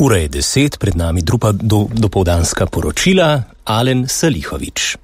Ura je 10, pred nami druga dopoldanska poročila, Alen Salihovič.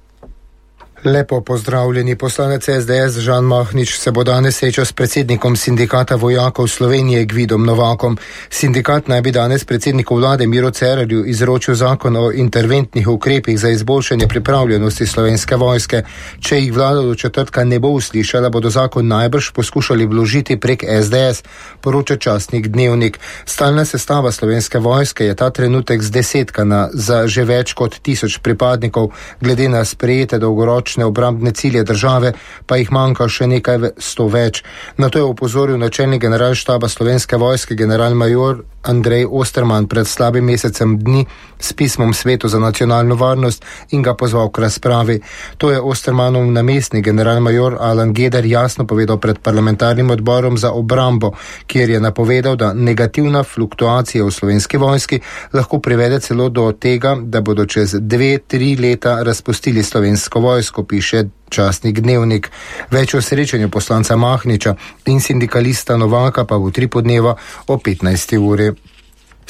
Lepo pozdravljeni. Poslanec SDS Žan Mahnič se bo danes srečal s predsednikom sindikata vojakov Slovenije Gvidom Novakom. Sindikat naj bi danes predsedniku vlade Miro Cerarju izročil zakon o interventnih ukrepih za izboljšanje pripravljenosti Slovenske vojske. Če jih vlada do četrtka ne bo uslišala, bodo zakon najbrž poskušali vložiti prek SDS, poroča časnik Dnevnik. Stalna sestava Slovenske vojske je ta trenutek zdesetkana za že več kot 1000 pripadnikov, glede na sprejete dolgoročne obrambne cilje države, pa jih manjka še nekaj 100 več. Na to je opozoril načelnik generalštaba Slovenske vojske generalmajor Andrej Osterman pred slabim mesecem dni s pismom Svetu za nacionalno varnost in ga pozval k razpravi. To je Ostermanov namestnik generalmajor Alan Geder jasno povedal pred parlamentarnim odborom za obrambo, kjer je napovedal, da negativna fluktuacija v Slovenski vojski lahko privede celo do tega, da bodo čez 2-3 leta razpustili Slovensko vojsko, piše časnik Dnevnik. Več o srečanju poslanca Mahniča in sindikalista Novaka pa bo 3 podneva o 15. uri.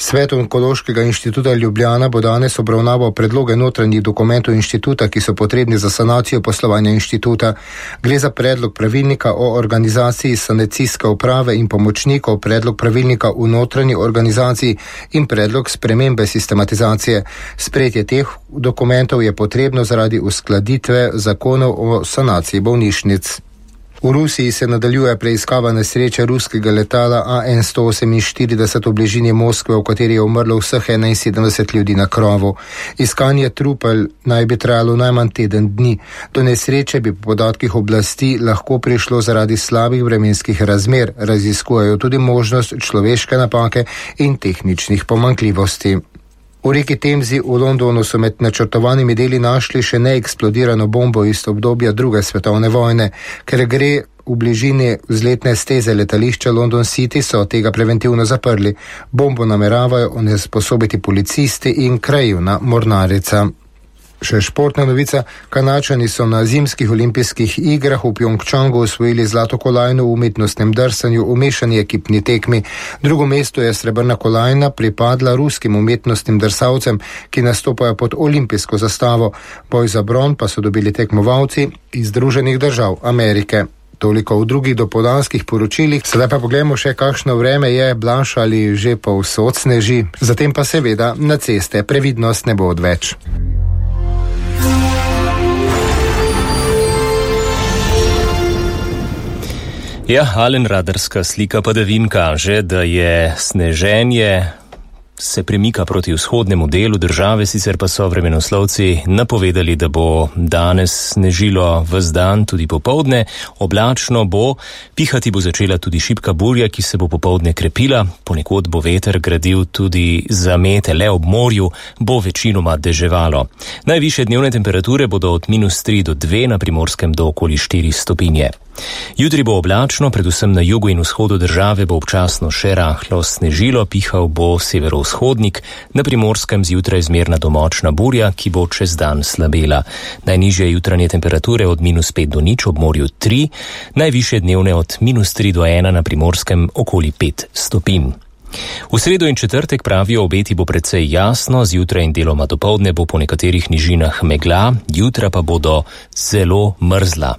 Svet Onkološkega inštituta Ljubljana bo danes obravnaval predloge notranjih dokumentov inštituta, ki so potrebni za sanacijo poslovanja inštituta. Gre za predlog pravilnika o organizaciji sanacijske uprave in pomočnikov, predlog pravilnika v notranji organizaciji in predlog spremembe sistematizacije. Sprejetje teh dokumentov je potrebno zaradi uskladitve zakonov o sanaciji bolnišnic. V Rusiji se nadaljuje preiskava nesreče ruskega letala AN-148 v bližini Moskve, v kateri je umrlo vseh 71 ljudi na krovu. Iskanje trupel naj bi trajalo najmanj teden dni. Do nesreče bi po podatkih oblasti lahko prišlo zaradi slabih vremenskih razmer. Raziskujejo tudi možnost človeške napake in tehničnih pomanjkljivosti. V reki Temzi v Londonu so med načrtovanimi deli našli še neeksplodirano bombo iz obdobja druge svetovne vojne. Ker gre v bližini vzletne steze letališča London City, so tega preventivno zaprli. Bombo nameravajo onesposobiti policisti in krajevna mornarica. Še športna novica. Kanadčani so na zimskih olimpijskih igrah v Pjongčangu osvojili zlato kolajno v umetnostnem drsanju v mešani ekipni tekmi. Drugo mesto je srebrna kolajna pripadla ruskim umetnostnim drsavcem, ki nastopajo pod olimpijsko zastavo. Boj za bron pa so dobili tekmovalci iz Združenih držav Amerike. Toliko v drugih dopoldanskih poročilih. Sedaj pa pogledamo še, kakšno vreme je, Blaž ali že povsod sneži. Zatem pa seveda na ceste previdnost ne bo odveč. Ja, Alen, radarska slika padavin kaže, da je sneženje se premika proti vzhodnemu delu države, sicer pa so vremenoslovci napovedali, da bo danes snežilo ves dan, tudi popoldne. Oblačno bo, pihati bo začela tudi šibka burja, ki se bo popoldne krepila, ponekod bo veter gradil tudi zamete, le ob morju bo večinoma deževalo. Najvišje dnevne temperature bodo od -3 do 2, na Primorskem do okoli 4 stopinje. Jutri bo oblačno, predvsem na jugu in vzhodu države bo občasno še rahlo snežilo, pihal bo severovzhodnik, na Primorskem zjutraj zmerna do močna burja, ki bo čez dan slabela. Najnižje jutranje temperature od -5 do 0, ob morju 3, najvišje dnevne od -3 do 1, na Primorskem okoli 5 stopinj. V sredo in četrtek, pravijo obeti, bo precej jasno, zjutraj in deloma dopoldne bo po nekaterih nižinah megla, jutra pa bodo zelo mrzla.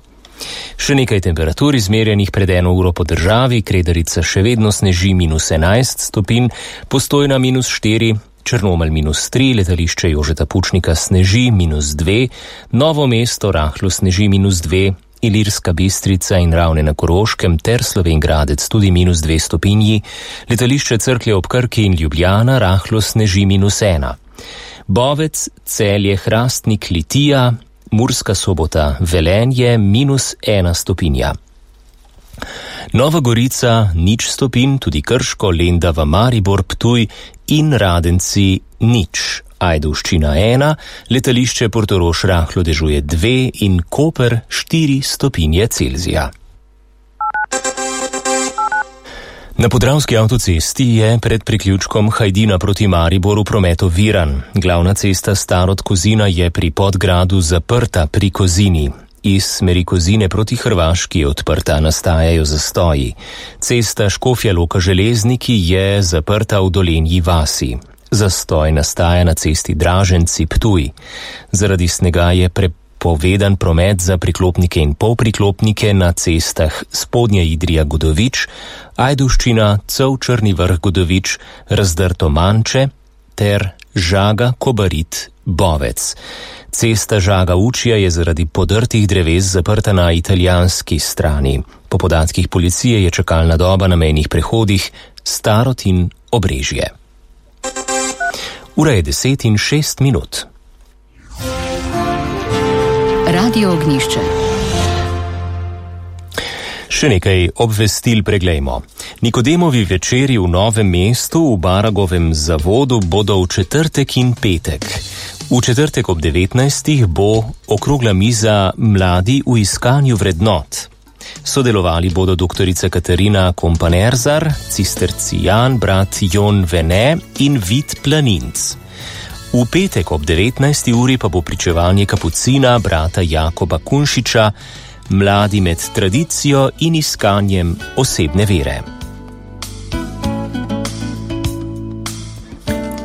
Še nekaj temperatur izmerjenih pred 1 uro po državi. Kredarica še vedno sneži -11 stopinj, Postojna -4, Črnomelj -3, letališče Jožeta Pučnika sneži -2, Novo mesto rahlo sneži -2, Ilirska Bistrica in Ravne na Koroškem ter Slovenj Gradec tudi -2 stopinji, letališče Cerklje ob Krki in Ljubljana rahlo sneži -1. Bovec, Celje, Hrastnik, Litija, Murska Sobota, Velenje -1 stopinja. Nova Gorica 0 stopinj, tudi Krško, Lendava, Maribor, Ptuj in Radenci 0. Ajdovščina 1, letališče Portorož rahlo dežuje 2 in Koper 4 stopinje Celzija. Na Podravski avtocesti je pred priključkom Hajdina proti Mariboru promet oviran. Glavna cesta Starod-Kozina je pri Podgradu zaprta pri Kozini. Iz smeri Kozine proti Hrvaški je odprta, nastajajo zastoji. Cesta Škofja Loka Železniki je zaprta v Dolenji vasi. Zastoj nastaja na cesti Draženci-Ptuj. Zaradi snega je prepovedan promet za priklopnike in polpriklopnike na cestah Spodnja Idrija-Godovič, Ajdovščina, Cel-Črni Vrh-Godovič, Razdrto-Manče ter Žaga-Kobarid-Bovec. Cesta Žaga-Učija je zaradi podrtih dreves zaprta na italijanski strani. Po podatkih policije je čakalna doba na mejnih prehodih Starotin-Obrežje. Ura je 10:06. Radio Ognjišče. Še nekaj obvestil preglejmo. Nikodemovi večeri v Novem mestu v Baragovem zavodu bodo v četrtek in petek. V četrtek ob 19. bo okrogla miza Mladi v iskanju vrednot. Sodelovali bodo doktorica Katarina Kompanerzar, cistercijan brat Jon Vene in Vid Planinc. V petek ob 19. uri pa bo pričevanje kapucina brata Jakoba Kunšiča, Mladi med tradicijo in iskanjem osebne vere.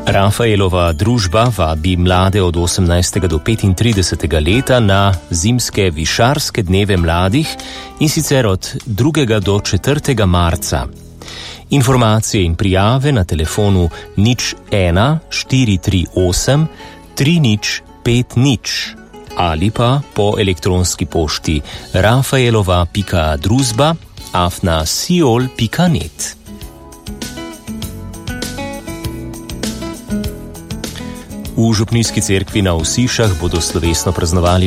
Rafaelova družba vabi mlade od 18. do 35. leta na zimske višarske dneve mladih, in sicer od 2. do 4. marca. Informacije in prijave na telefonu 01 438 3050 ali pa po elektronski pošti rafaelova.druzba@siol.net. V župnijski cerkvi na Osišah bodo slovesno praznovali